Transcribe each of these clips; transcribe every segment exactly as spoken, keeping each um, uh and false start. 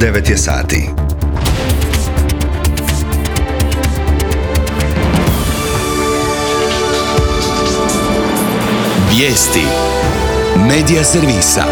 devet je sati. Vijesti Medija servisa.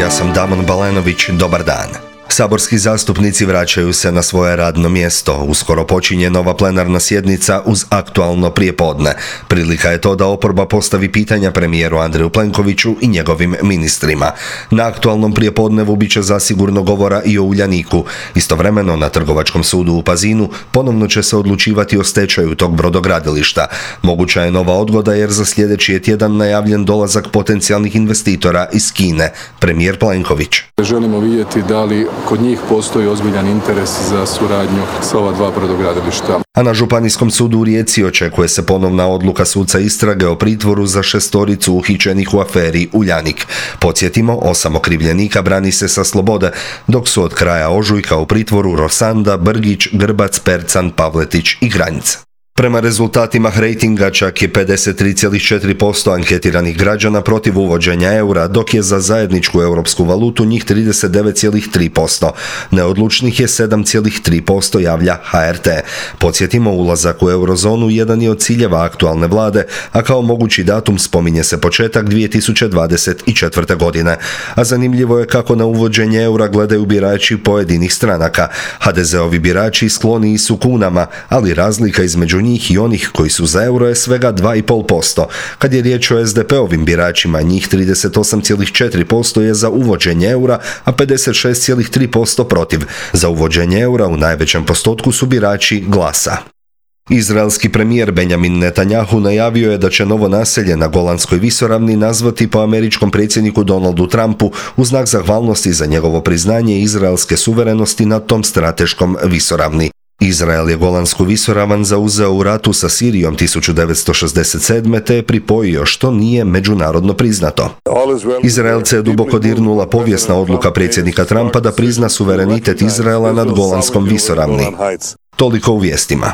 Ja sam Damon Balenović, dobar dan. Saborski zastupnici vraćaju se na svoje radno mjesto. Uskoro počinje nova plenarna sjednica uz aktualno prijepodne. Prilika je to da oporba postavi pitanja premijeru Andreju Plenkoviću i njegovim ministrima. Na aktualnom prijepodnevu bit će zasigurno govora i o Uljaniku. Istovremeno na Trgovačkom sudu u Pazinu ponovno će se odlučivati o stečaju tog brodogradilišta. Moguća je nova odgoda jer za sljedeći je tjedan najavljen dolazak potencijalnih investitora iz Kine. Premijer Plenković. Želimo vidjeti da li kod njih postoji ozbiljan interes za suradnju sa ova dva brodogradilišta. A na Županijskom sudu u Rijeci očekuje se ponovna odluka suca istrage o pritvoru za šestoricu uhićenih u aferi Uljanik. Podsjetimo, osam okrivljenika brani se sa slobode, dok su od kraja ožujka u pritvoru Rosanda, Brgić, Grbac, Percan, Pavletić i Granjica. Prema rezultatima rejtinga čak je pedeset tri zarez četiri posto anketiranih građana protiv uvođenja eura, dok je za zajedničku europsku valutu njih trideset devet zarez tri posto. Neodlučnih je sedam zarez tri posto, javlja H R T. Podsjetimo, ulazak u eurozonu jedan je od ciljeva aktualne vlade, a kao mogući datum spominje se početak dvije tisuće dvadeset četvrte. godine. A zanimljivo je kako na uvođenje eura gledaju birači pojedinih stranaka. ha de zeovi birači skloniji su kunama, ali razlika između njih i onih koji su za euro je svega dva zarez pet posto. Kad je riječ o es de pe ovim biračima, njih trideset osam zarez četiri posto je za uvođenje eura, a pedeset šest zarez tri posto protiv. Za uvođenje eura u najvećem postotku su birači Glasa. Izraelski premijer Benjamin Netanjahu najavio je da će novo naselje na Golanskoj visoravni nazvati po američkom predsjedniku Donaldu Trumpu u znak zahvalnosti za njegovo priznanje izraelske suverenosti na tom strateškom visoravni. Izrael je Golansku visoravan zauzeo u ratu sa Sirijom tisuću devetsto šezdeset sedme. te je pripojio, što nije međunarodno priznato. Izraelce je duboko dirnula povijesna odluka predsjednika Trumpa da prizna suverenitet Izraela nad Golanskom visoravni. Toliko u vijestima.